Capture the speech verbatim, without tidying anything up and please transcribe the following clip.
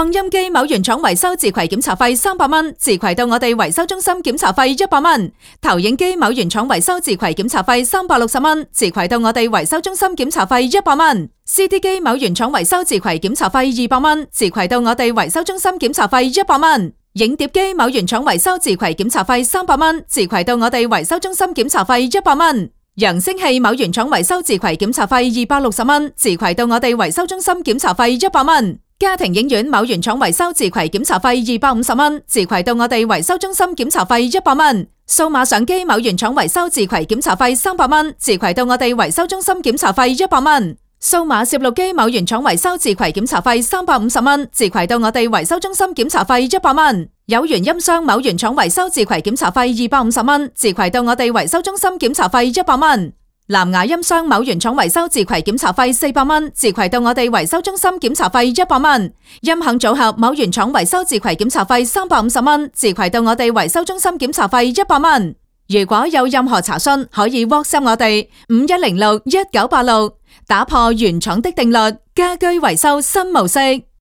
擴音機某原廠維修自攜檢查費三百蚊，自攜到我哋維修中心檢查費一百蚊。投影機某原廠維修自攜檢查費三百六十蚊，自攜到我哋維修中心檢查費一百蚊。C D 機某原廠維修自攜檢查費二百蚊，自攜到我哋維修中心檢查費一百蚊。影碟機某原廠維修自攜檢查費三百蚊，自攜到我哋維修中心檢查費一百蚊。揚聲器某原廠維修自攜檢查費二百六十蚊，自攜到我哋維修中心檢查費一百蚊。家庭影院某原廠維修自攜檢查費二百五十蚊，自攜到我哋維修中心檢查費一百蚊。數碼相機某原廠維修自攜檢查費三百蚊，自攜到我哋維修中心檢查費一百蚊。數碼攝錄機某原廠維修自攜檢查費三百五十蚊，自攜到我哋維修中心檢查費一百蚊。有源音箱某原廠維修自攜檢查費二百五十蚊，自攜到我哋維修中心檢查費一百蚊。藍牙音箱某原廠維修自攜檢查費四百蚊，自攜到我哋維修中心檢查費一百蚊。音響組合某原廠維修自攜檢查費三百五十蚊，自攜到我哋維修中心檢查費一百蚊。如果有任何查詢，可以 WhatsApp 我哋五一零六一九八六，打破原廠的定律，家居維修新模式。